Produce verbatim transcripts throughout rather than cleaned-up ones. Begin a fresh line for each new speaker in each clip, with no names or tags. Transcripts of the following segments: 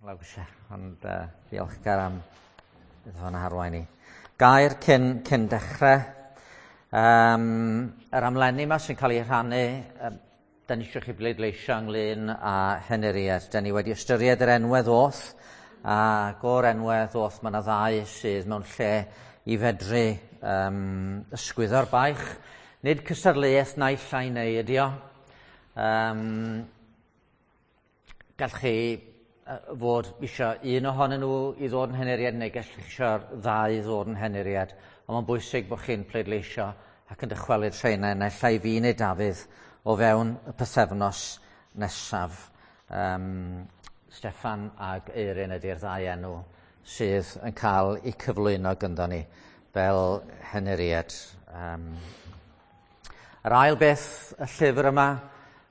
Lawr grisiau, ond uh, diolchgar am iddo fo'n harwain i. Gair cyn, cyn dechrau. Um, yr amlenni yma sy'n cael ei rhannu, um, da ni eisiau chi bleidleisio ynglyn â henuriad. Da ni wedi ystyried yr enwau ddoth, ac o'r enwau ddoth mae yna ddau sydd mewn lle i fedru um, ysgwyddo'r baich. Nid cystadleuaeth naill ai neu ydi o. Um, gall chi fod eisiau un ohonyn nhw i ddod yn henuriad neu gallwch chi eisiau'r ddau i ddod yn henuriad. Ond mae'n bwysig bod chi'n pleidleisio ac yn dychwelyd rheina naill ai fi neu Dafydd o fewn y pythefnos nesaf. Um, Steffan ag Eirin ydy'r ddau enw sydd yn cael eu cyflwyno gyda ni fel henuriad. Um, yr ail beth, y llyfr yma,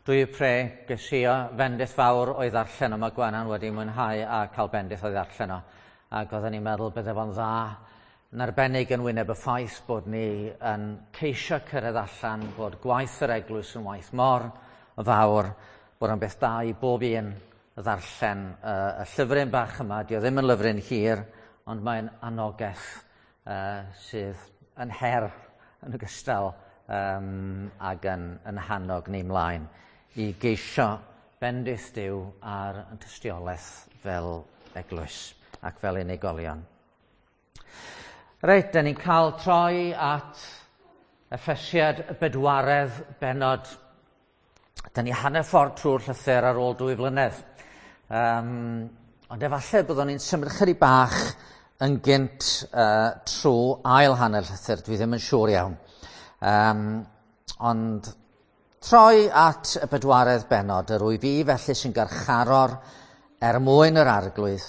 Do You Pray, ges i o fendith fawr o'i ddarllen o. Mae Gwenan wedi mwynhau a cael bendith o'i ddarllen o. Ac oedden ni'n meddwl bydde fo'n dda yn arbennig yn wyneb y ffaith bod ni yn ceisio cyrraedd allan bod gwaith yr eglwys yn waith mor fawr, bod o'n beth da i bob un ddarllen uh, y llyfryn bach yma. Dio ddim yn lyfryn hir, ond mae'n anogaeth uh, sydd yn her yn ogystal um, ag yn, yn hannog ni mlaen i geisio bendith Duw ar yn tystiolaeth fel eglwys ac fel unigolion. Reit, da ni'n cael troi at Effesiad y bedwaredd bennod. Da ni hanner ffordd trwy'r llythyr ar ôl dwy flynedd. Um, ond efallai byddwn ni'n symud chydig bach yn gynt uh, trwy ail hanner llythyr, dwi ddim yn siŵr iawn. Um, ond troi at y bedwaredd bennod, yr wyf fi felly sy'n garcharor er mwyn yr Arglwydd,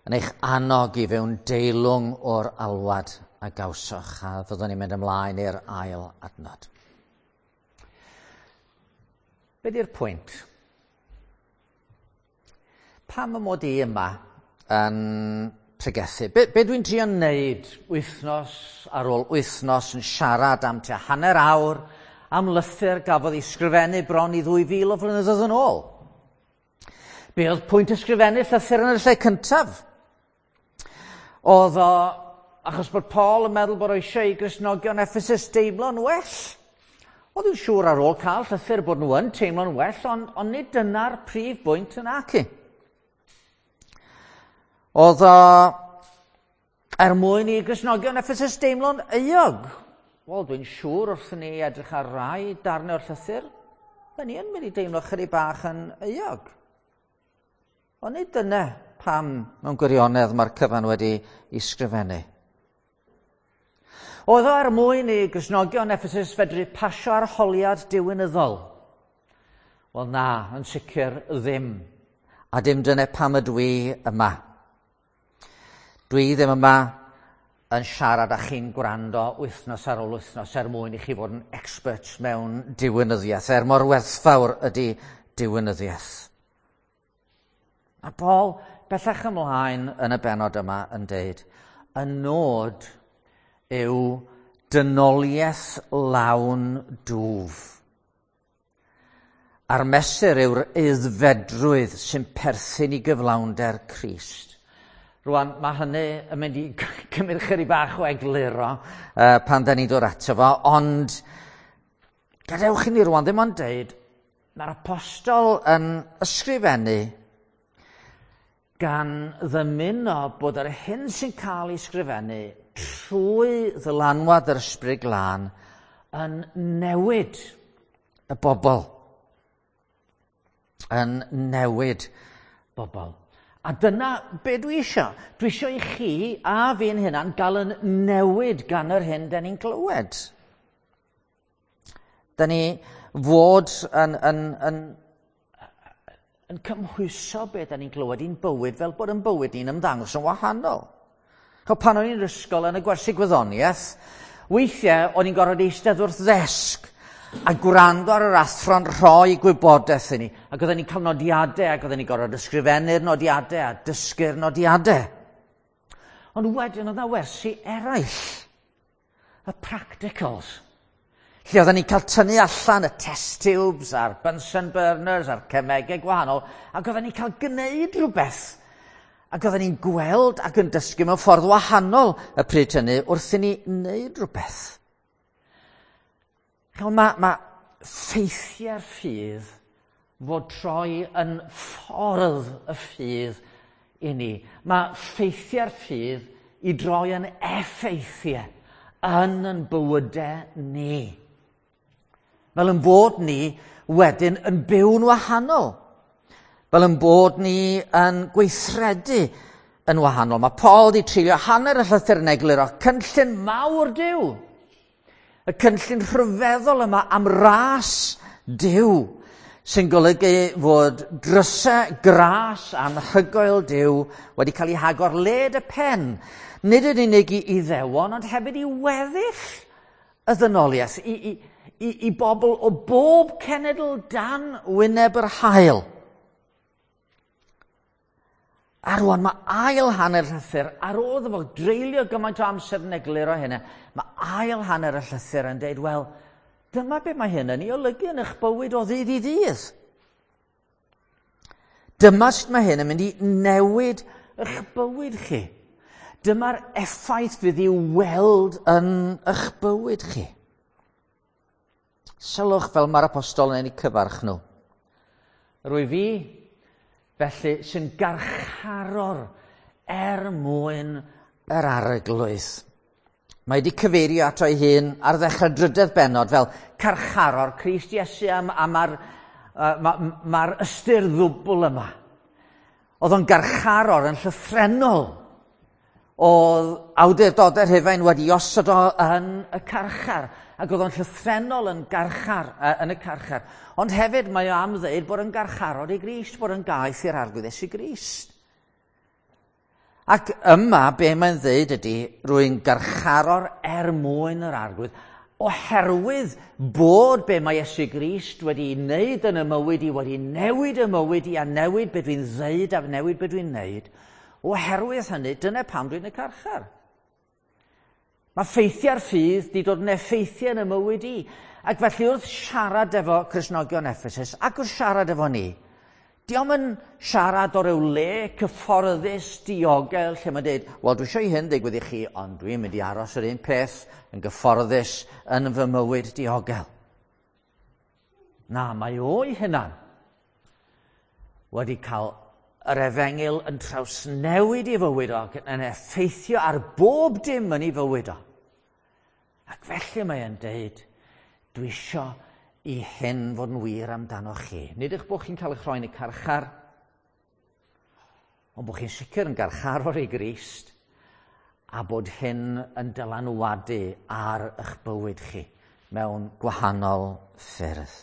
yn eich annog i fyw'n deilwng o'r alwad a gawsoch, a fyddwn ni'n mynd ymlaen i'r ail adnod. Be di'r pwynt? Pam y mod i yma yn pregethu? Be, be dwi'n trio wneud wythnos ar ôl wythnos yn siarad am tua hanner awr am lythyr gafodd ei sgrifennu bron i ddwy fil o flynyddoedd yn ôl? Be oedd pwynt ysgrifennu llythyr yn y lle cyntaf? Oedd o achos bod Paul yn meddwl bod o eisiau i Gristnogion Ephesus deimlo'n well. Oedd yn siŵr ar ôl cael llythyr bod nhw yn teimlo'n well, ond, ond nid dyna'r prif bwynt yn aci. Oedd o er mwyn i Gristnogion Ephesus deimlo'n euog. Wel, dwi'n siŵr wrth ni edrych ar rai darnau o'r llythyr, fe ni yn mynd i deimlo chydig bach yn euog. Ond nid dyna pam mewn gwirionedd mae'r cyfan wedi ei sgrifennu. Oedd o er mwyn i Gristnogion Ephesus fedru pasio arholiad diwinyddol? Wel na, yn sicr ddim. A dim dyna pam ydw i yma. Dwi ddim yma yn siarad â chi'n gwrando wythnos ar ôl wythnos er mwyn i chi fod yn experts mewn diwinyddiaeth, er mor werthfawr ydy diwinyddiaeth. A Paul bellach ymlaen yn y bennod yma yn deud, y nod yw dynoliaeth lawn dwf. A'r mesur yw'r aeddfedrwydd sy'n perthyn i gyflawnder Crist. Rwan, mae hynny yn mynd i cymryd chydig bach o egluro uh, pan da ni'n dod ato fo, ond gadewch i ni rwan ddim ond deud, mae'r apostol yn ysgrifennu gan ddymuno bod yr hyn sy'n cael ei sgrifennu trwy ddylanwad yr Ysbryd Glân yn newid y bobl. Yn newid bobl. A dyna be dwi eisiau. Dwi eisiau i chi a fi'n hunan gael yn newid gan yr hyn da ni'n glywed. Da ni fod yn, yn, yn, yn cymhwyso be da ni'n glywed i'n bywyd fel bod yn bywyd ni'n ymddangos yn wahanol. Chos pan o'n i'n ysgol yn y gwersi gwyddoniaeth, weithiau o'n i'n gorfod eistedd wrth ddesg a gwrando ar yr athro'n rhoi gwybodaeth i ni. Ac oedden ni'n cael nodiadau, ac oedden ni'n gorfod ysgrifennu'r nodiadau a dysgu'r nodiadau. Ond wedyn oedd yna wersi eraill, y practicals, lle oedden ni'n cael tynnu allan y test tubes a'r Bunsen burners a'r cemegau gwahanol, ac oedden ni'n cael gwneud rhywbeth. Ac oedden ni'n gweld ac yn dysgu mewn ffordd wahanol y pryd hynny wrth i ni wneud rhywbeth. Ch'mo', ma' ma' ffeithiau'r ffydd fod troi yn ffordd y ffydd i ni. Mae ffeithiau'r ffydd i droi yn effeithiau yn yn bywydau ni. Fel yn bod ni wedyn yn byw'n wahanol. Fel yn bod ni yn gweithredu yn wahanol. Mae Paul wedi treulio hanner y llythyr yn egluro cynllun mawr Duw. Y cynllun rhyfeddol yma am ras Duw, sy'n golygu fod drysau gras anhygoel Duw wedi cael ei hagor led y pen. Nid yn unig i Iddewon, ond hefyd i weddill y ddynoliaeth, i, i, i, i bobl o bob cenedl dan wyneb yr haul. A rwan mae ail hanner llythyr, ar ôl iddo fo dreulio gymaint o amser yn egluro hynny, mae ail hanner y llythyr yn dweud, wel, dyma be mae hyn yn ei olygu yn eich bywyd o ddydd i ddydd. Dyma sut mae hyn yn mynd i newid eich bywyd chi. Dyma'r effaith fydd i'w weld yn eich bywyd chi. Sylwch fel mae'r apostol yn eu cyfarch nhw. Rwy fi, felly, sy'n garcharor er mwyn yr Arglwydd. Mae wedi cyfeirio ato ei hun ar ddechrau drydedd bennod fel carcharor Crist Iesu, a, a mae'r ma, ma ystyr ddwbl yma. Oedd o'n garcharor yn llythrennol. Oedd awdurdodau Rhufain wedi osod o yn y carchar, ac oedd o'n llythrennol yn garchar, yn y carchar. Ond hefyd mae o am ddeud bod yn garcharor i Grist, bod yn gaeth i'r Arglwydd Iesu Grist. Ac yma, be mae'n ddeud ydy, rwy'n garcharor er mwyn yr Arglwydd, oherwydd bod be mae Iesu Grist wedi wneud yn y mywyd i, wedi newid y mywyd i, a newid be dwi'n ddeud a newid be dwi'n wneud. Oherwydd hynny, dyna pam dwi'n y carchar. Mae ffeithiau'r ffydd wedi dod yn effeithiau yn y mywyd i. Ac felly wrth siarad efo Cristnogion Ephesus, ac wrth siarad efo ni, dio'm yn siarad o ryw le cyfforddus, diogel, lle mae'n dweud, wel, dwi eisiau i hyn ddigwydd i chi, ond dwi'n mynd i aros yr un peth yn gyfforddus yn fy mywyd diogel. Na, mae o'i hunan wedi cael yr efengyl yn trawsnewid i fywyd o, yn effeithio ar bob dim yn ei fywyd o. Ac felly mae e'n deud, dwi isio i hyn fod yn wir amdano chi. Nid eich bod chi'n cael eich rhoi yn y carchar, ond bod chi'n sicr yn garcharor i Grist, a bod hyn yn dylanwadu ar eich bywyd chi mewn gwahanol ffyrdd.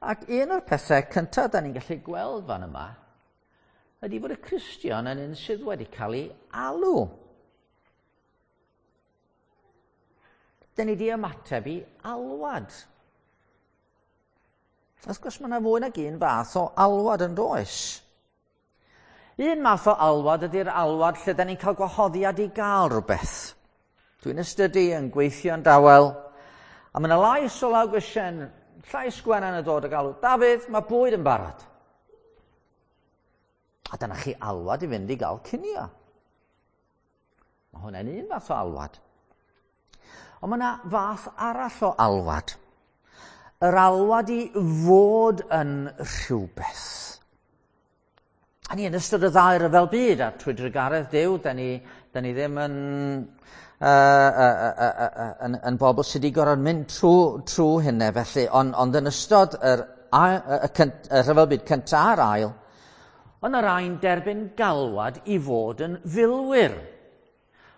Ac un o'r pethau cyntaf da ni'n gallu gweld fan yma ydy bod y Cristion yn un sydd wedi cael ei alw. Da ni wedi ymateb i alwad. Wrth gwrs mae yna fwy nag un fath o alwad yn does. Un math o alwad ydy'r alwad lle da ni'n cael gwahoddiad i gael rhywbeth. Dwi'n ystydu yn gweithio'n dawel, a mae yna lais o law grisiau, llais Gwenan yn dod a galw, Dafydd, mae bwyd yn barod. A dyna chi alwad i fynd i gael cinio. Mae hwnna'n un fath o alwad. Ond mae yna fath arall o alwad. Yr alwad i fod yn rhywbeth. A ni yn ystod y ddau ryfel byd, a trwy drugaredd Duw, da ni, da ni ddim yn, uh, uh, uh, uh, uh, yn, yn bobl sydd wedi gorfod mynd trwy, trwy hynny felly, ond, ond yn ystod yr, y, y, y rhyfel byd cyntaf a'r ail, ond y rhain derbyn galwad i fod yn filwyr.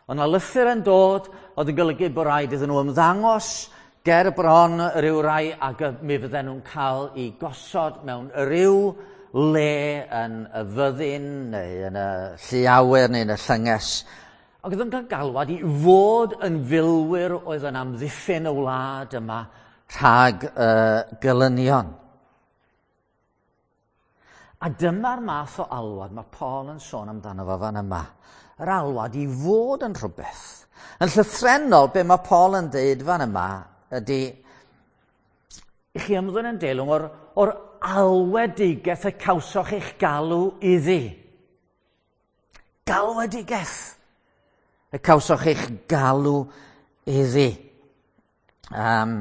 Ond na lythyr yn dod, oedd yn golygu bod rhaid iddyn nhw ymddangos ger bron rhyw rai, ac mi fydden nhw'n cael eu gosod mewn rhyw le yn y fyddin neu yn y llu awyr neu yn y llynges. Ac oedd yn cael galwad i fod yn filwyr oedd yn amddiffyn y wlad yma rhag uh, gelynion. A dyma'r math o alwad mae Paul yn sôn amdano fo fan yma. Yr alwad i fod yn rhywbeth. Yn llythrennol, be mae Paul yn deud fan yma ydy i chi ymddwyn yn deilwng o'r, o'r alwedigaeth y cawsoch eich galw iddi. Galwedigaeth y cawsoch eich galw iddi. Um,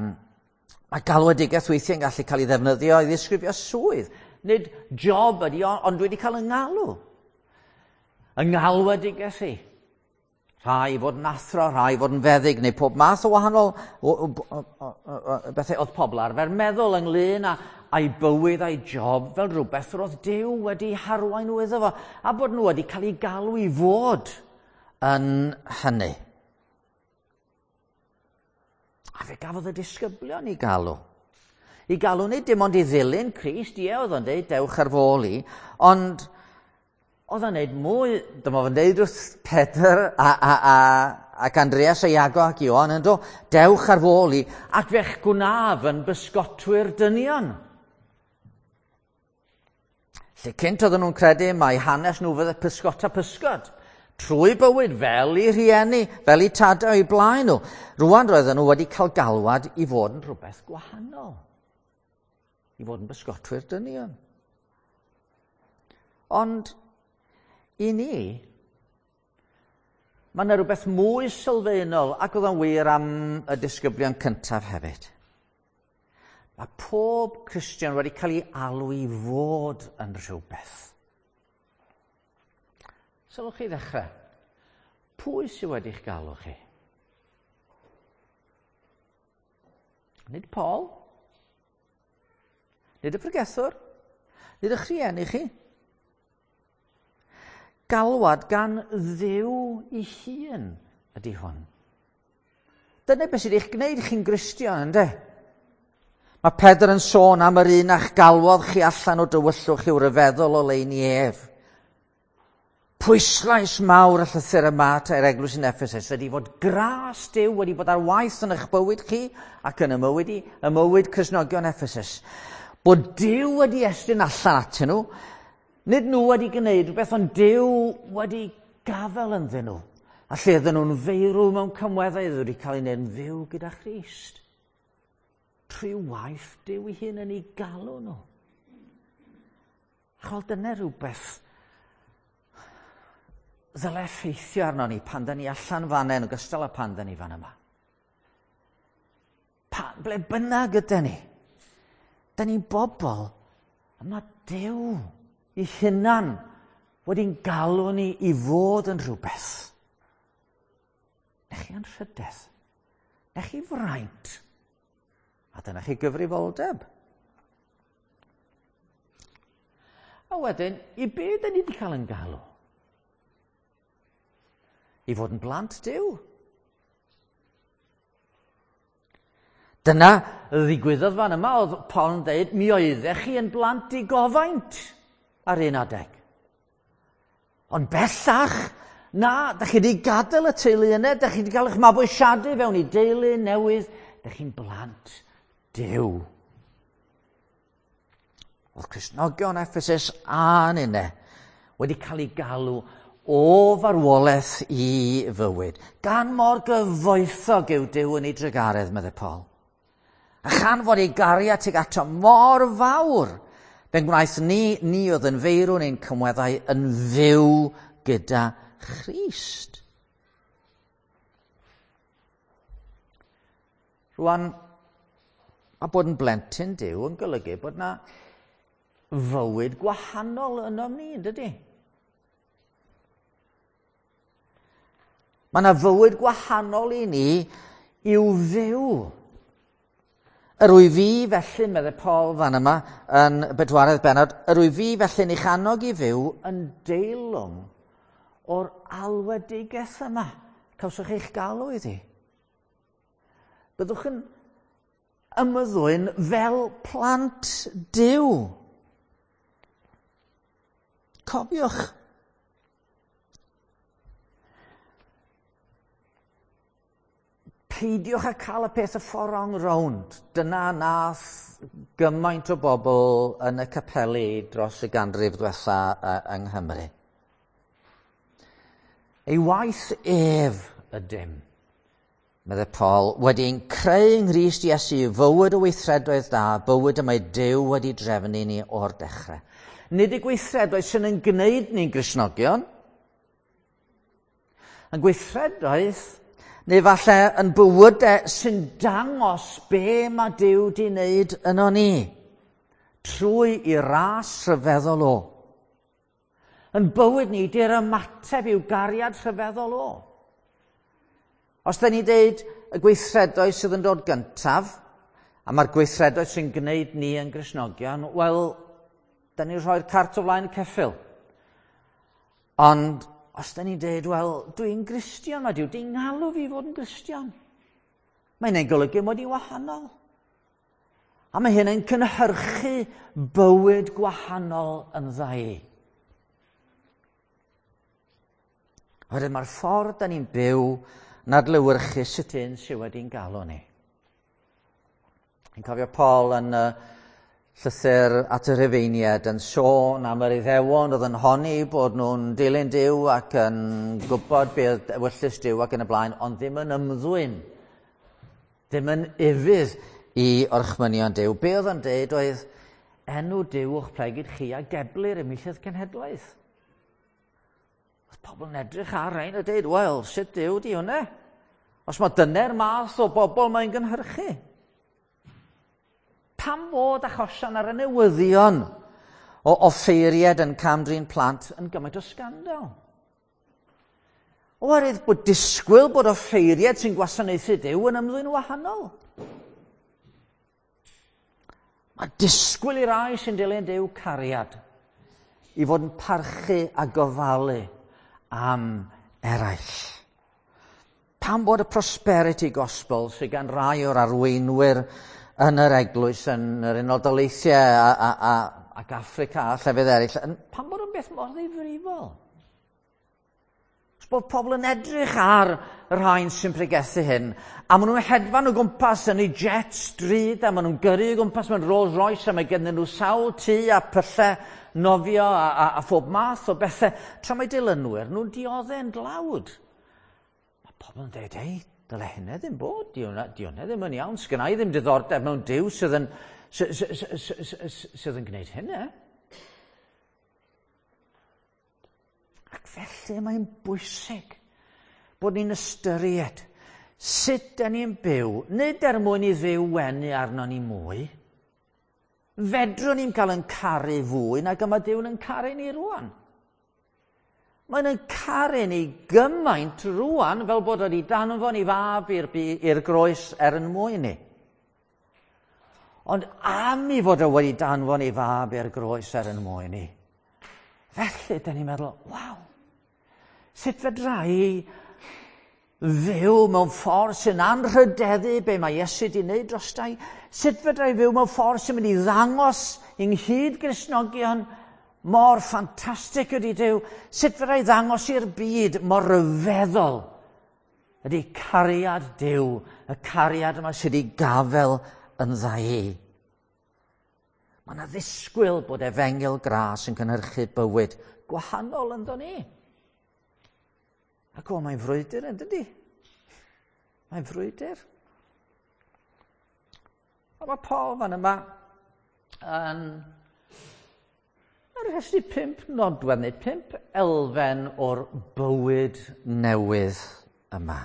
mae galwedigaeth weithiau yn gallu cael ei ddefnyddio i ddisgrifio swydd. Nid job ydi, ond dwi wedi cael yng ngalw. Yng ngalwedigaeth i. Rhai i fod yn athro, rhai i fod yn feddyg, neu pob math o wahanol o, o, o, o, o, bethau oedd pobl arfer meddwl ynglyn â a'i bywyd a'i job fel rhywbeth roedd Duw wedi harwain nhw iddo fo, a bod nhw wedi cael eu galw i fod yn hynny. A fe gafodd y disgyblion i galw. I galw nid dim ond i ddilyn Crist, ie, oedd o'n deud, dewch ar fôl i, ond oedd o'n neud mwy, dyma fo'n deud wrth Pedr a, a, a, ac Andreas a Iago ac Ioan yn do, dewch ar fôl i, ac fe'ch gwnaf yn bysgotwyr dynion. Lle cynt oedden nhw'n credu mai hanes nhw fydde pysgota pysgod, trwy bywyd fel i rhieni, fel i tadau o'i blaen nhw. Rwan roedden nhw wedi cael galwad i fod yn rhywbeth gwahanol, i fod yn bysgotwyr dynion. Ond i ni, mae yna rhywbeth mwy sylfaenol, ac oedd o'n wir am y disgyblion cyntaf hefyd. Mae pob Cristion wedi cael ei alw i fod yn rhywbeth. Sylwch chi ddechrau, pwy sydd wedi'ch galw chi? Nid Paul, nid y pregethwr, nid eich rhieni chi. Galwad gan Dduw ei hun ydy hwn. Dyna beth sydd eich gwneud chi'n Gristion, ynddo? Mae Pedr yn sôn am yr un a'ch galwodd chi allan o dywyllwch i'w ryfeddol o leini ef. Pwyslais mawr y llythyr yma i'r eglwys yn Ephesus ydy fod gras Duw wedi bod ar waith yn eich bywyd chi ac yn y mywyd i, y mywyd Cristnogion Ephesus. Bod Duw wedi estyn allan atyn nhw, nid nhw wedi gwneud rhywbeth, ond Duw wedi gafael ynddyn nhw. A lle oedden nhw'n feirw mewn cymweddau, oedden nhw wedi cael eu gwneud yn fyw gyda Christ. Trwy waith Duw ei hun yn ei galw nhw. A chwel, dyna rhywbeth ddyle effeithio arno ni pan da ni allan fan yn ogystal â pan da ni fan yma. Pa, ble bynnag ydy ni, da ni'n bobl, a mae Duw ei hunan wedi'n galw ni i fod yn rhywbeth. Na chi anrhydedd, na chi fraint, a dyna chi gyfrifoldeb. A wedyn, i be da ni wedi cael yn galw? I fod yn blant Duw. Dyna ddigwyddodd fan yma, oedd Paul yn dweud, mi oeddech chi yn blant digofaint ar un adeg. Ond bellach, na, da chi wedi gadael y teulu yna, da chi wedi cael eich mabwysiadu fewn i deulu newydd, da chi'n blant Duw. Oedd Cristnogion Ephesus a'n unne wedi cael ei galw o farwolaeth i fywyd. Gan mor gyfoethog yw Duw yn ei drugaredd, meddai Paul. A chan fod ei gariad tuag ato mor fawr, fe'n gwnaeth ni, ni oedd yn feirw neu'n cymweddau yn fyw gyda Christ. Rwan, a bod yn blentyn Duw yn golygu bod na fywyd gwahanol ynom ni, yn dydy? Mae yna fywyd gwahanol i ni i'w fyw. Yr wyf fi felly, meddai Paul fan yma, yn bedwaredd bennod, yr wyf fi felly'n eich annog i fyw yn deilwng o'r alwedigaeth yma. Cawsoch eich galw iddi. Byddwch yn ymddwyn fel plant Duw. Cofiwch. Peidiwch â cael y peth y ffordd wrong rownd. Dyna nath gymaint o bobl yn y capeli dros y ganrif diwetha yng Nghymru. Ei waith ef ydym, meddai Paul, wedi'n creu yng Nghrist Iesu fywyd o weithredoedd da, bywyd y mae Duw wedi drefnu ni o'r dechrau. Nid y gweithredoedd sy'n yn gwneud ni'n Gristnogion, yn gweithredoedd, neu falle yn bywydau sy'n dangos be mae Duw wedi wneud yno ni, trwy i ras rhyfeddol o. Yn bywyd ni, di'r ymateb i'w gariad rhyfeddol o. Os da ni dweud y gweithredoedd sydd yn dod gyntaf, a mae'r gweithredoedd sy'n gwneud ni yn Gristnogion, wel, da ni'n rhoi'r cart o flaen y ceffyl. Ond os da ni'n dweud, wel, dwi'n Gristion, mae Duw di'n galw fi fod yn Gristion. Mae'n ei golygu mod i'n wahanol. A mae hyn yn cynhyrchu bywyd gwahanol yn ddau. Oherwydd mae'r ffordd da ni'n byw yn adlewyrchu sut un sydd wedi'n galw ni. Yn cofio Paul yn uh, llythyr at y Rhufeiniaid yn sôn am yr Iddewon oedd yn honni bod nhw'n dilyn Duw ac yn gwybod beth ewyllys Duw ac yn y blaen, ond ddim yn ymddwyn, ddim yn ufudd i orchmynion Duw. Be oedd yn deud oedd enw Duw o'ch plegid chi a geblir ymhlith cenhedlaeth. Oedd pobl yn edrych ar rhain a deud, wel, sut Duw di hwnna? Os mae dyna'r math o bobl mae'n gynhyrchu. Pam fod achosion ar y newyddion o offeiriad yn cam-drin plant yn gymaint o sgandal? Oherwydd bod disgwyl bod offeiriad sy'n gwasanaethu Duw yn ymddwyn wahanol. Mae disgwyl i rai sy'n dilyn Duw cariad i fod yn parchu a gofalu am eraill. Pam bod y prosperity gospel sydd gan rai o'r arweinwyr yn yr eglwys, yn yr Unol Daleithiau a, a, a, ac Affrica a llefydd eraill, yn, pam bod yn beth mor ddifrifol? Os bod pobl yn edrych ar y rhain sy'n pregethu hyn, a maen nhw'n hedfan o gwmpas yn eu jet stryd, a maen nhw'n gyrru o gwmpas mewn Rolls Royce, a mae gennyn nhw sawl tŷ a pyllau nofio a, a, a phob math o bethau, tra mae dilynwyr nhw'n dioddau'n dlawd. Mae pobl yn dweud, hei, dyle hynny ddim bod, di hwnna, di hwnna ddim yn iawn, sgynna i ddim diddordeb mewn Duw sydd yn, sydd yn gwneud hynny. Ac felly mae'n bwysig bod ni'n ystyried sut da ni'n byw, nid er mwyn i Dduw wenu arno ni mwy. Fedrwn ni'n cael yn caru fwy nag yma Duw'n yn caru ni rwan. Mae'n yn caru ni gymaint rwan fel bod wedi danfon i fab i'r, i'r groes er yn mwyn ni. Ond am i fod o wedi danfon i fab i'r groes er yn mwyn ni, felly, da ni'n meddwl, waw, sut fedra i fyw mewn ffordd sy'n anrhydeddu be mae Iesu wedi wneud drosta i? Sut fedra i fyw mewn ffordd sy'n mynd i ddangos yng nghyd Gristnogion mor ffantastig ydy Duw? Sut fedra i ddangos i'r byd mor ryfeddol ydy cariad Duw, y cariad yma sydd wedi gafel yn dda i? Mae yna ddisgwyl bod efengyl gras yn cynhyrchu bywyd gwahanol ynddo ni. Ac o, mae'n frwydr yn dydy? Mae'n frwydr. A mae Paul fan yma yn rhestru pump nodwedd neu pump elfen o'r bywyd newydd yma.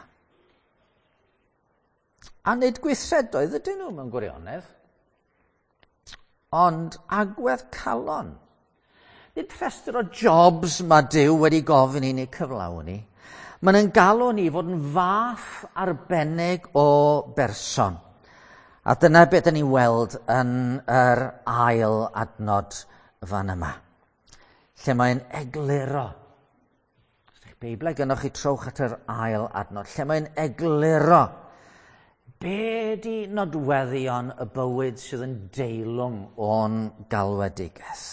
A nid gweithredoedd ydyn nhw mewn gwirionedd, ond agwedd calon. Nid rhestr o jobs mae Duw wedi gofyn i ni cyflawni. Mae'n yn galw ni fod yn fath arbennig o berson. A dyna beth 'dan ni'n weld yn yr ail adnod fan yma, lle mae'n egluro. Os ydych Beiblau gynnwch chi, trowch at yr ail adnod, lle mae'n egluro be di nodweddion y bywyd sydd yn deilwng o'n galwedigaeth.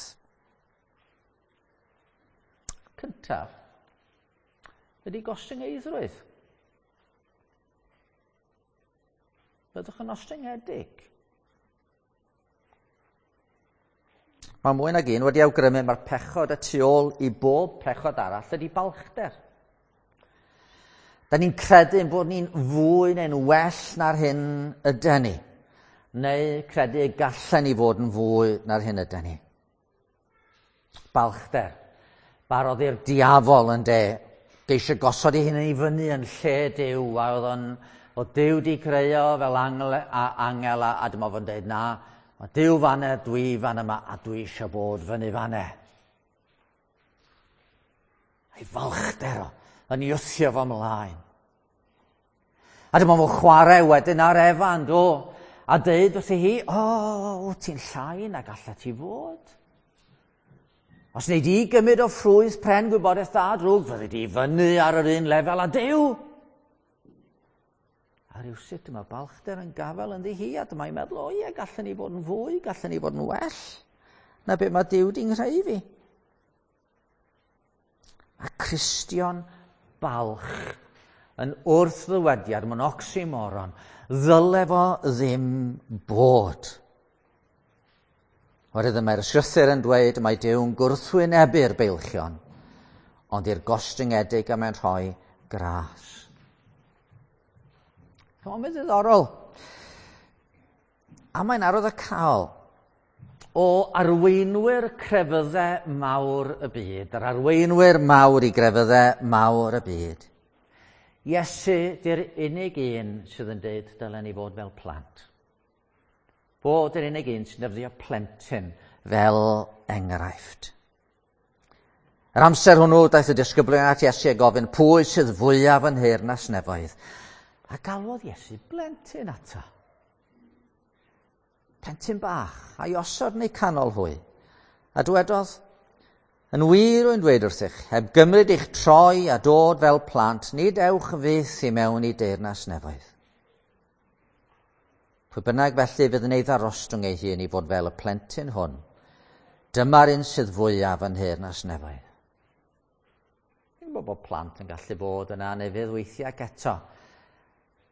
Cyntaf, ydy gostyngeiddrwydd. Byddwch yn ostyngedig. Mae mwy nag un wedi awgrymu mae'r pechod y tu ôl i bob pechod arall ydy balchder. Da ni'n credu ein bod ni'n fwy neu'n well na'r hyn yden ni. Neu credu y gallen ni fod yn fwy na'r hyn yden ni. Balchder. Barodd i'r diafol yn de. Geisio gosod ei hunan i fyny yn lle Duw. A oedd o'n, oedd Duw di creu o fel angel, a, angel a, a dyma fo'n dweud, na, mae Duw fan'na, dwi fan yma, a dwi eisiau bod fyny fan'na. A'i falchder o, yn ei wthio fo ymlaen. A dyma fo'n chwarae wedyn ar Efa, yn do, a deud wrthi hi, o, oh, ti'n llai na gallet ti fod. Os wnei di gymryd o ffrwyth pren gwybodaeth da drwg, fyddi di fyny ar yr un lefel a Duw. A rhywsut dyma balchder yn gafel ynddi hi, a dyma'n meddwl, o ie, gallen ni fod yn fwy, gallen ni fod yn well na be mae Duw di'n nghreu fi. A Cristion balch yn wrthddywediad, mae'n oxymoron, ddyle fo ddim bod. Oherwydd mae'r ysgrythur yn dweud mae Duw'n gwrthwynebu'r beilchion, ond i'r gostyngedig a mae'n rhoi gras. Mae'n ddiddorol. A mae'n arwyddocaol o arweinwyr crefyddau mawr y byd, yr arweinwyr mawr i grefyddau mawr y byd. Iesu di'r unig un sydd yn dweud dylen ni fod fel plant. Fod yr unig un sy'n defnyddio plentyn fel enghraifft. Yr amser hwnnw daeth y disgyblion at Iesu a gofyn pwy sydd fwyaf yn nheyrnas nefoedd. A galwodd Iesu blentyn ato. Plentyn bach, a'i osod yn eu canol hwy. A dywedodd, yn wir rwy'n dweud wrthych, heb gymryd eich troi a dod fel plant, nid ewch fyth i mewn i deyrnas nefoedd. Pwy bynnag felly fydd yn ei ddarostwng ei hun i fod fel y plentyn hwn, dyma'r un sydd fwyaf yn nheyrnas nefoedd. Fi'n gwybod bod plant yn gallu bod yn anufudd weithiau ac eto.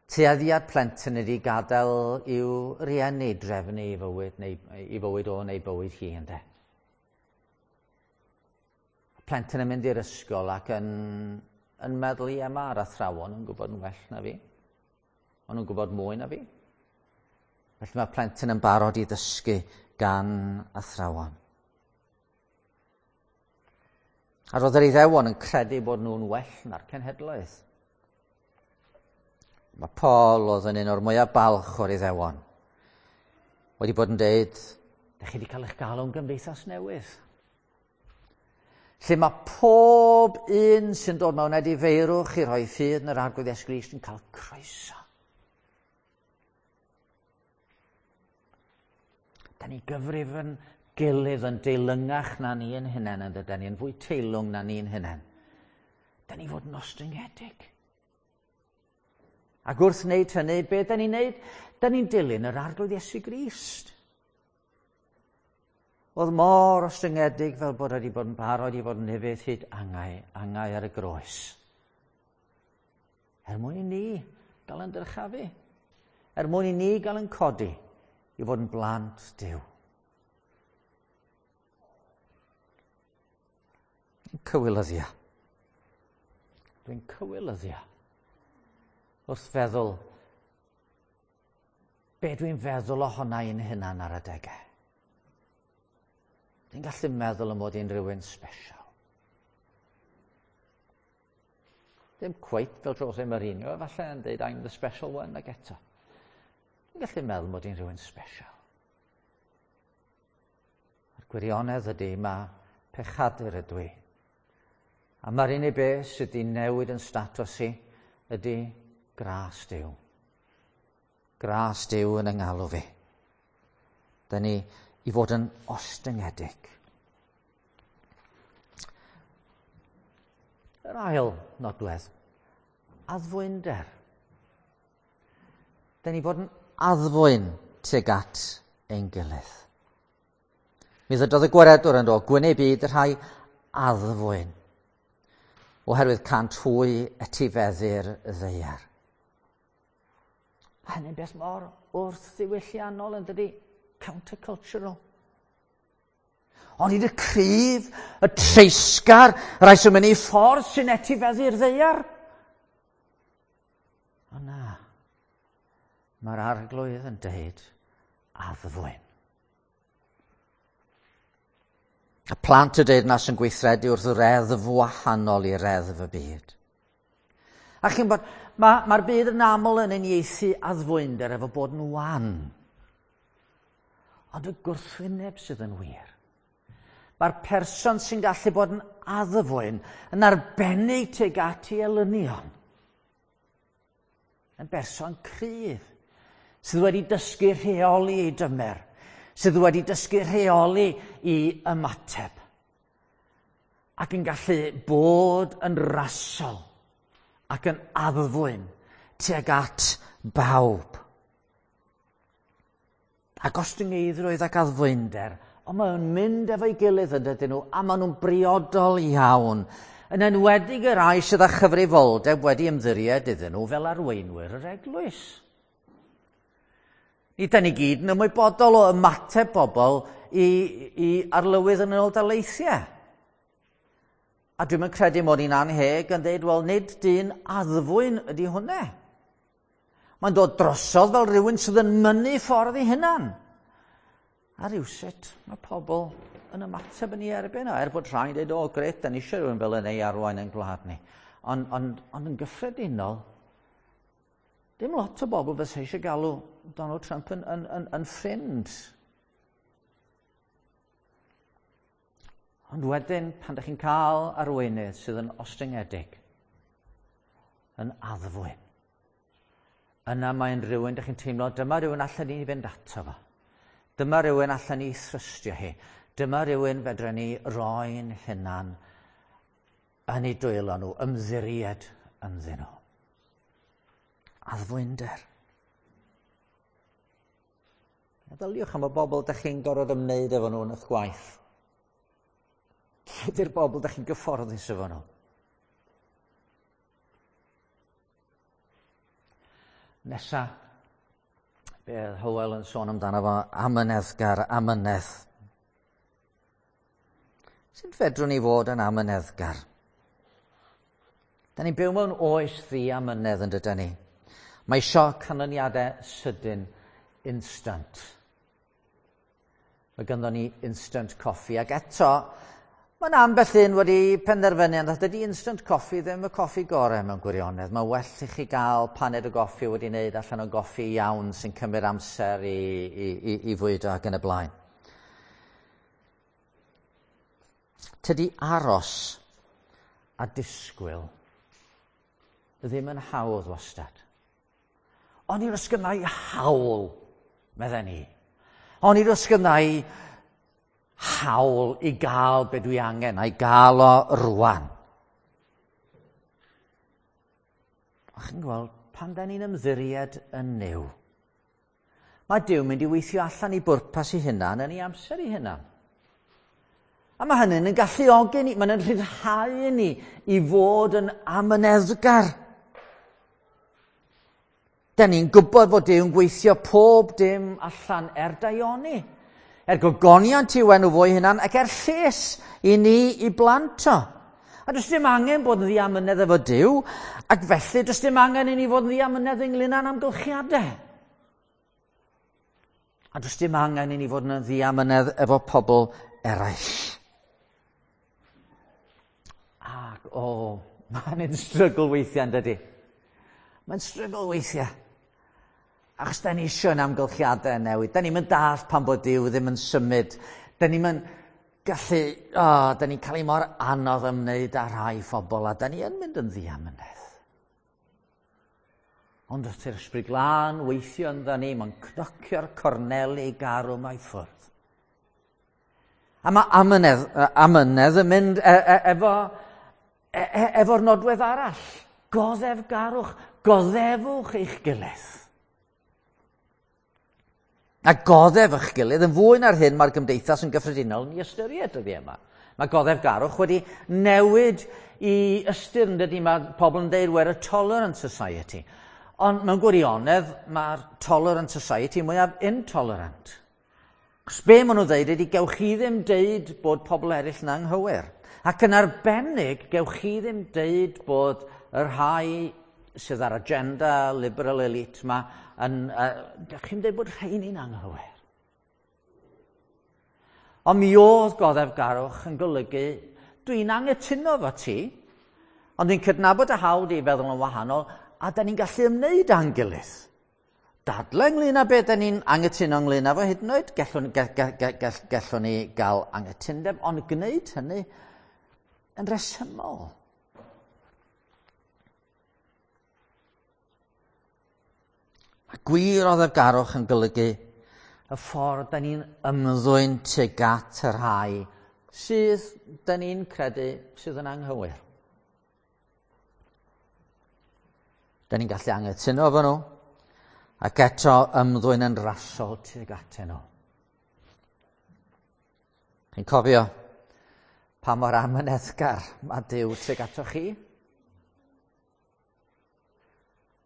Tueddiad plentyn ydy gadael i'w rieni drefnu i fywyd, neu, i fywyd o neu bywyd hi, ynde. Plentyn yn mynd i'r ysgol ac yn, yn meddwl, ie, mae'r athrawon yn gwybod yn well na fi. Maen nhw'n gwybod mwy na fi. Felly mae plentyn yn barod i ddysgu gan athrawon. A roedd yr Iddewon yn credu bod nhw'n well na'r cenhedloedd. Mae Paul oedd yn un o'r mwyaf balch o'r Iddewon wedi bod yn deud, da chi wedi cael eich galw'n gymdeithas newydd. Lle mae pob un sy'n dod mewn edifeirwch i rhoi ffydd yn yr Arglwydd Iesu Grist yn cael croeso. Da ni gyfrif yn gilydd yn deilwngach na ni yn hunain, yn dydyn ni yn fwy teilwng na ni'n hunain. Da ni fod yn ostyngedig. Ac wrth wneud hynny, be da ni'n wneud? Da ni'n dilyn yr Arglwydd Iesu Grist. Oedd mor ostyngedig fel bod wedi bod yn barod i fod yn ufudd hyd angau, angau ar y groes. Er mwyn i ni gael yn dyrchafu. Er mwyn i ni gael yn codi i fod yn blant Duw. Cywilyddia. Dwi'n cywilyddia. Wrth feddwl, be dwi'n feddwl ohona i'n hunan ar adegau. Dwi'n gallu meddwl am fod i'n rhywun special. Ddim cweit fel Jose Mourinho, efallai yn dweud I'm the special one ag eto. Dwi'n gallu meddwl mod i'n rhywun special. A'r gwirionedd ydy, mae pechadur ydw i. A mae'r unig beth sydd wedi newid yn statws i ydy gras Duw. Gras Duw yn 'ngalw fi. Da ni i fod yn ostyngedig. Yr ail nodwedd, addfwynder. Da ni fod yn addfwyn tuag at ein gilydd. Mi ddydodd y gwaredwr yn dod, gwyn eu byd y rhai addfwyn, oherwydd cant hwy etifeddu'r ddaear. Hynny'n beth mor wrth-ddiwylliannol yn dydi? Countercultural. Ond i y cryf, y treisgar, y rhai sy'n mynd i ffordd sy'n etifeddu'r ddaear. O na, mae'r Arglwydd yn deud addfwyn. Y plant y deyrnas yn gweithredu wrth reddf wahanol i reddf y byd. A chi'n bod, mae'r ma byd yn aml yn uniaethu addfwynder efo bod yn wan. Ond y gwrthwyneb sydd yn wir. Mae'r person sy'n gallu bod yn addfwyn yn arbennig tuag at ei elynion. Yn berson cryf, sydd wedi dysgu rheoli ei dymer, sydd wedi dysgu rheoli i ymateb, ac yn gallu bod yn rasol ac yn addfwyn tuag at bawb. A gostyngeiddrwydd ac addfwynder, ond maen nhw'n mynd efo'i gilydd yn dydyn nhw, a maen nhw'n briodol iawn, yn enwedig y rhai sydd â chyfrifoldeb wedi ymddiried iddyn nhw fel arweinwyr yr eglwys. Ni da ni gyd yn ymwybodol o ymateb bobl i, i arlywydd yn ôl daleithiau. A dwi'm yn credu mod i'n anheg yn dweud, wel, nid dyn addfwyn ydy hwnna. Mae'n dod drosodd fel rhywun sydd yn mynnu ffordd ei hunan. A rywsut mae pobl yn ymateb yn ei erbyn o, er bod rhai'n dweud, o, gret, da ni eisiau rhywun fel yna i arwain yn gwlad ni. Ond on, on yn gyffredinol, dim lot o bobl fysa eisiau galw Donald Trump yn, yn, yn, yn ffrind. Ond wedyn, pan ydych chi'n cael arweinydd sydd yn ostyngedig, yn addfwyn, yna mae'n rhywun ydych chi'n teimlo, dyma rhywun allan ni fynd ato fo. Dyma rhywun allan ni thrystio hi. Dyma rhywun fedra ni roi'n hunan yn ei dwylo nhw, ymddiried ynddyn nhw. Addfwynder. Meddyliwch am y bobl ydych chi'n gorfod ymwneud efo nhw yn eich gwaith. Lle ydy'r bobl ydych chi'n gyfforddus efo nhw? Nesa, be oedd Hywel yn sôn amdano fo, amyneddgar, amynedd. Sut fedrwn ni fod yn amyneddgar? Da ni'n byw mewn oes ddiamynedd yn dydan ni. Mae isio canlyniadau sydyn, instant. Mae ganddo ni instant coffee, ac eto, mae'n ambell un wedi penderfynu, ond dydy instant coffee ddim y coffi gorau mewn gwirionedd. Mae well i chi gael paned o goffi wedi wneud allan o goffi iawn sy'n cymryd amser i, i, i, i fwydo ac yn y blaen. Tydi aros a disgwyl ddim yn hawdd wastad. Ond i'r ysgynnau hawl, medden ni. Ond i'r ysgynnau hawl i gael be dwi angen, a'i gael o rwan. A chi'n gweld, pan da ni'n ymddiried yn Nuw, mae Duw mynd i weithio allan i bwrpas ei hunan yn ei amser ei hunan. A mae hynny'n yn galluogi ni, mae'n rhyddhau ni i fod yn amyneddgar. Da ni'n gwybod fod Duw'n gweithio pob dim allan er daioni, er gogoniant i'w enw fo'i hunan ac er lles i ni i blant o. A does dim angen bod yn ddiamynedd efo Duw, ac felly does dim angen i ni fod yn ddiamynedd ynglyn â'n amgylchiadau. A does dim angen i ni fod yn ddiamynedd efo pobl eraill. Ac o, oh, mae'n strygl weithiau yn dydy. Mae'n strygl weithiau. Achos da ni eisiau yn amgylchiadau newid. Da ni'n mynd dallt pan bod Duw ddim yn symud. Da ni'n mynd gallu, o, oh, da ni'n cael ei mor anodd ymwneud â rhai phobl, a da ni yn mynd yn ddiamynedd. Ond wrth i'r Ysbryd Glân weithio ynddo ni, mae'n cnocio'r corneli garw mae ffwrdd. A mae amynedd, amynedd yn mynd e, e, efo, e, e, efo'r nodwedd arall. Goddefgarwch, goddefwch eich gilydd. A goddef eich gilydd yn fwy na'r hyn mae'r gymdeithas yn gyffredinol yn ei ystyried dyddiau yma. Mae goddefgarwch wedi newid i ystyr yn dydy, mae pobl yn dweud we're a tolerant society. Ond mewn gwirionedd mae'r tolerant society mwyaf intolerant. Cos be maen nhw'n dweud ydy gewch chi ddim deud bod pobl eraill yn anghywir. Ac yn arbennig gewch chi ddim deud bod y rhai sydd ar agenda liberal elite yma, yn, uh, dych chi'n dweud bod rheini'n anghywir. Ond mi oedd goddefgarwch yn golygu, dwi'n anghytuno efo ti, ond dwi'n cydnabod y hawl di feddwl yn wahanol, a da ni'n gallu ymwneud â'n gilydd. Dadle ynglyn â beth da ni'n anghytuno ynglyn â fo hyd yn oed, gallwn, gall, gall, gall, gallwn ni gael anghytundeb, ond gwneud hynny yn resymol. Mae gwir oddefgarwch yn golygu y ffordd da ni'n ymddwyn tuag at y rhai sydd da ni'n credu sydd yn anghywir. Da ni'n gallu anghytuno efo nhw, ac eto ymddwyn yn rasol tuag atyn nhw. Chi'n cofio pa mor amyneddgar mae Duw tuag ato chi?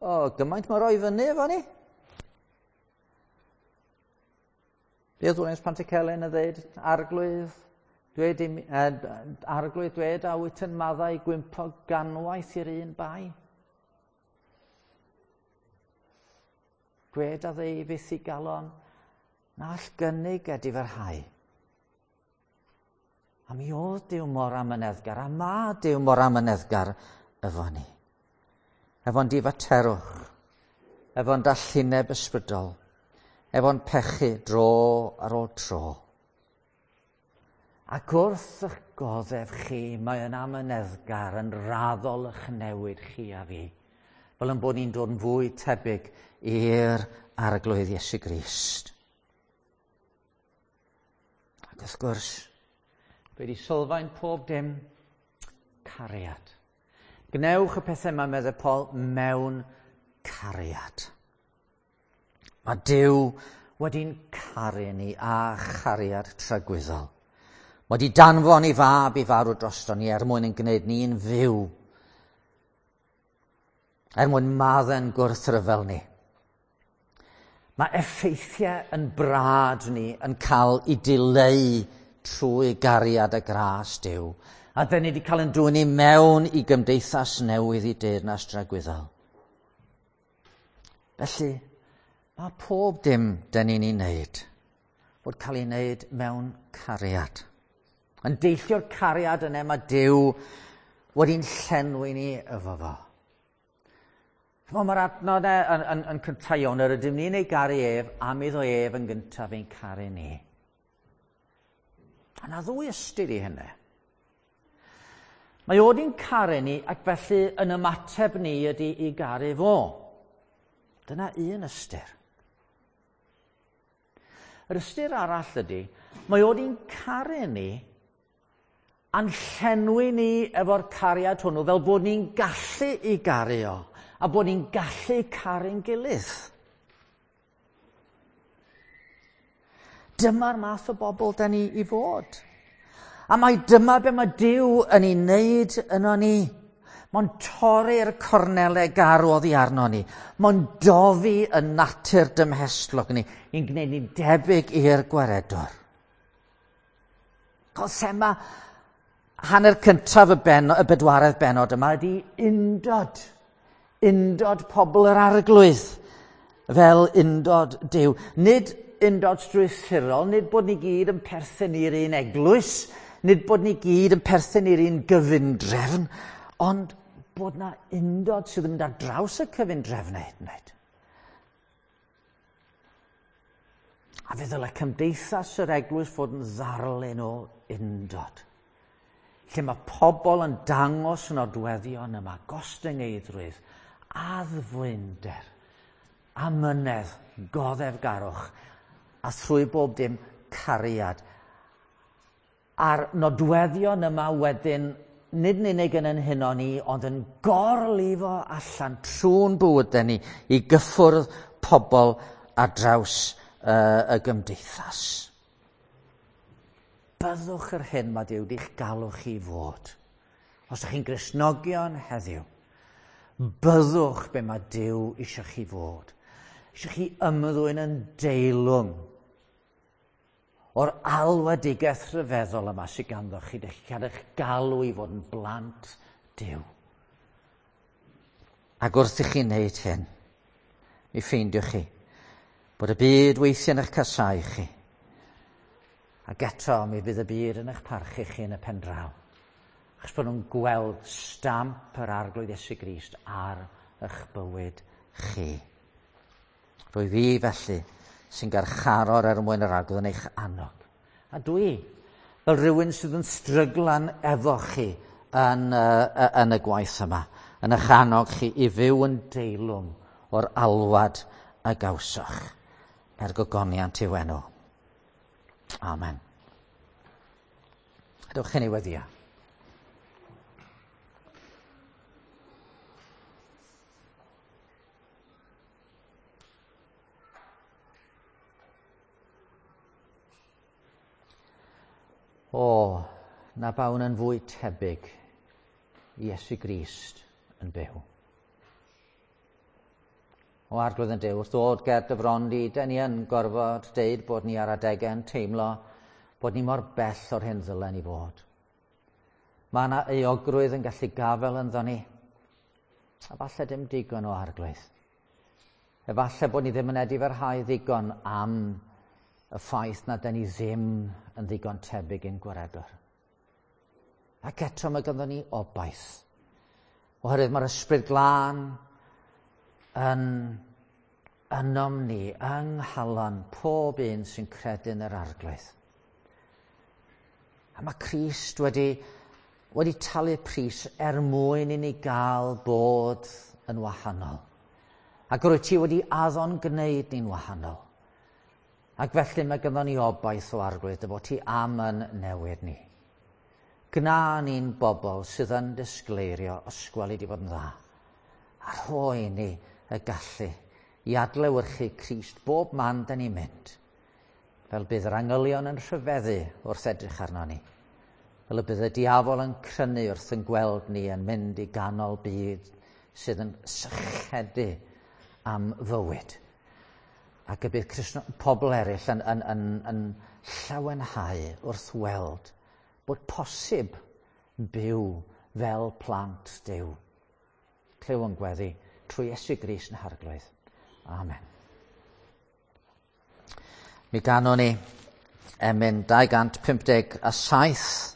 O, gymaint mae roi fyny efo ni. Be oedd Williams Pantycelyn yn dweud, arglwydd, dweud, eh, arglwydd dweud a wyt yn maddau gwympo ganwaith i'r un bai. Gwed a ddeu fyth i galon, na all gynnig edifyrhau. A mi oedd Duw mor amyneddgar, a ma Duw mor amyneddgar efo ni. Efo'n difaterwch, efo'n dallineb ysbrydol, efo'n pechu dro ar ôl tro. Ac wrth eich goddef chi, mae yn amyneddgar yn raddol eich newid chi a fi, fel yn bod ni'n dod yn fwy tebyg i'r Arglwydd Iesu Grist. Ac wrth gwrs, fe di sylfaen pob dim cariad. Gwnewch y pethau yma, meddai Paul, mewn cariad. Mae Duw wedi'n caru ni â chariad tragwyddol. Mae wedi danfon ei fab i farw drosto ni er mwyn yn gwneud ni'n fyw, er mwyn maddau'n gwrthryfel ni. Mae effeithiau yn brad ni yn cael ei dileu trwy gariad a gras Duw. A dyn ni wedi cael yn dwyn ni mewn i gymdeithas newydd i deyrnas dragwyddol. Felly, mae pob dim dyn ni'n ei wneud fod cael ei wneud mewn cariad. Yn deillio'r cariad yna mae Duw wedi'n llenwi ni efo fo. Mae'r adnod yn, yn, yn cyntaf iawn, yr ydym ni'n ei garu ef am iddo ef yn gyntaf ein caru ni. A na ddwy ystyr i hynny. Mae o wedi'n caru ni ac felly yn ymateb ni ydy i garu fo. Dyna un ystyr. Yr ystyr arall ydy, mae o wedi'n caru ni a'n llenwi ni efo'r cariad hwnnw fel bod ni'n gallu i garu o a bod ni'n gallu caru'n gilydd. Dyma'r math o bobl da ni i fod. A mae dyma be mae Duw yn ei wneud yno ni. Mae'n torri'r cornelau garw oddi arno ni. Mae'n dofi y natur dymhestlog ni, i'n gwneud ni'n debyg i'r gwaredwr. Cos thema hanner cyntaf y, ben, y bedwaredd benod yma ydy undod. Undod pobl yr Arglwydd fel undod Duw. Nid undod strwythurol, nid bod ni gyd yn perthyn i'r un eglwys, nid bod ni gyd yn perthyn i'r un gyfundrefn, ond bod na undod sydd yn mynd ar draws y cyfundrefnau hyd yn oed. A fe ddylai cymdeithas yr eglwys fod yn ddarlun o undod, lle mae pobl yn dangos nodweddion yma, gostyngeiddrwydd, addfwynder, amynedd, goddefgarwch, a thrwy bob dim cariad. A'r nodweddion yma wedyn, nid yn unig yn ein huno ni, ond yn gorlifo allan trwy'n bywydau ni i gyffwrdd pobl ar draws uh, y gymdeithas. Byddwch yr hyn mae Duw wedi'ch galw chi fod. Os ydych chi'n Gristnogion heddiw, byddwch be mae Duw eisiau chi fod. Eisiau chi ymddwyn yn deilwng o'r alwedigaeth rhyfeddol yma sydd ganddo chi, ydych chi'n cael eich galw i fod yn blant Duw. Ac wrth i chi wneud hyn, mi ffeindiwch chi bod y byd weithiau yn eich casau chi. Ac eto mi fydd y byd yn eich parchu chi yn y pen draw. Achos bod nhw'n gweld stamp yr Arglwydd Iesu Grist ar eich bywyd chi. Rwy fi felly sy'n garcharor er mwyn yr Arglwydd yn eich annog. A dwi, fel rhywun sydd yn stryglan efo chi yn, uh, yn y gwaith yma, yn eich annog chi i fyw yn deilwng o'r alwad a gawsoch, er gogoniant i'w enw. Amen. Dewch i ni weddio. O, na bawn yn fwy tebyg i Iesu Grist yn byw. O Arglwydd yn Duw, wrth ddod ger dy fron di, dyn ni yn gorfod deud bod ni ar adegau yn teimlo bod ni mor bell o'r hyn ddylen ni fod. Mae yna euogrwydd yn gallu gafael ynddo ni, a falle dim digon o Arglwydd. Efallai bod ni ddim yn edifarhau ddigon am y ffaith na dyn ni ddim yn ddigon tebyg i'n gwaredwr. Ac eto mae ganddo ni obaith. Oherwydd mae'r Ysbryd Glân yn ynom ni, yng nghalon pob un sy'n credu yn yr Arglwydd. A mae Crist wedi, wedi talu pris er mwyn i ni gael bod yn wahanol. Ac rwyt ti wedi addo'n gwneud ni'n wahanol. Ac felly mae ganddo ni obaith o Arglwydd dy fod ti am yn newid ni. Gna ni'n bobl sydd yn disgleirio os gweli di fod yn dda. A rhoi ni y gallu i adlewyrchu Crist bob man da ni'n mynd. Fel bydd yr angylion yn rhyfeddu wrth edrych arno ni. Fel y bydd y diafol yn crynu wrth yn gweld ni yn mynd i ganol byd sydd yn sychedu am fywyd. Ac y bydd Cristno, pobl eraill yn, yn, yn, yn llawenhau wrth weld bod posib byw fel plant Duw. Clyw yn gweddi trwy Iesu Grist yn Harglwydd. Amen. Mi ganwn ni emyn dau gant pump deg a saith.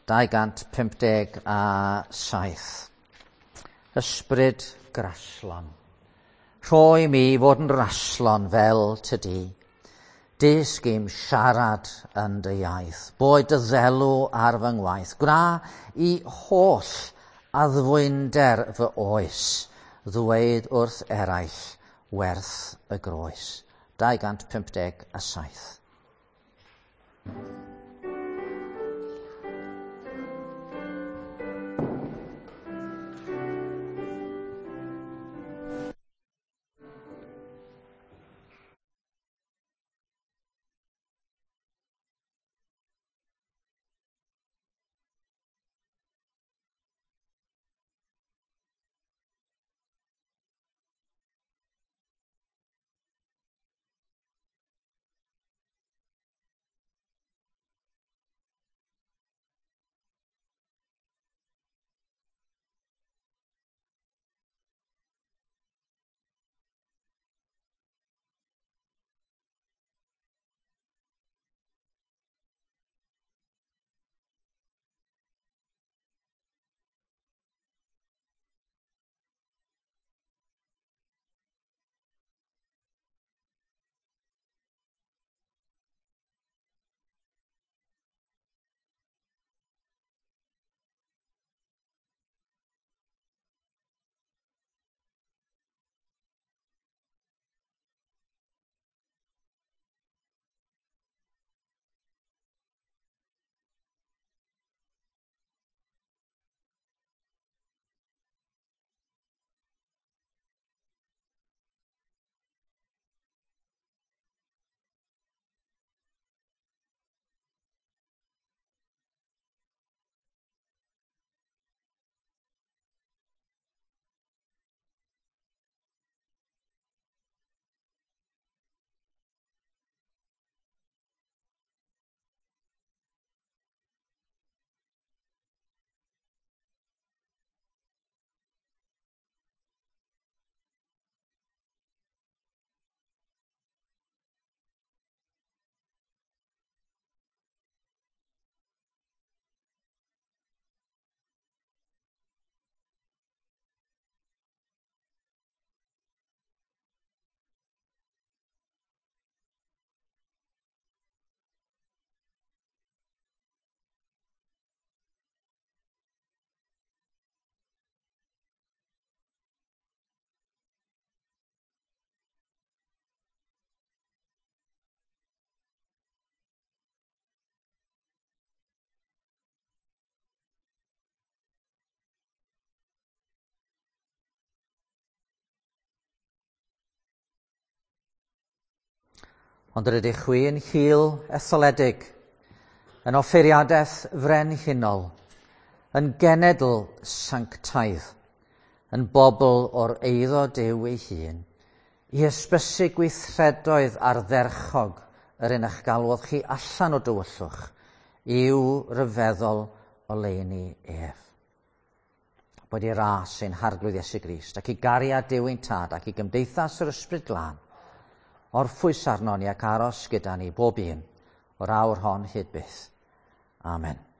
dau gant pump deg a saith. Ysbryd graslon. Rhoi mi fod yn raslon fel tydi. Dysg i'm siarad yn dy iaith. Boed dy ddelw ar fy ngwaith. Gwna i holl addfwynder fy oes. Ddweud wrth eraill werth y groes. dau gant pump deg a saith. Ond yr ydych chwi yn hil etholedig, yn offeiriadaeth frenhinol, yn genedl sanctaidd, yn bobl o'r eiddo Duw ei hun, i hysbysu gweithredoedd ardderchog yr un a'ch galwodd chi allan o dywyllwch, i'w ryfeddol oleuni ef. Bod i ras ein Harglwydd Iesu Grist ac i gariad Duw ein Tad ac i gymdeithas yr Ysbryd Glân, orffwys arno ni ac aros gyda ni bob un o'r awr hon hyd byth. Amen.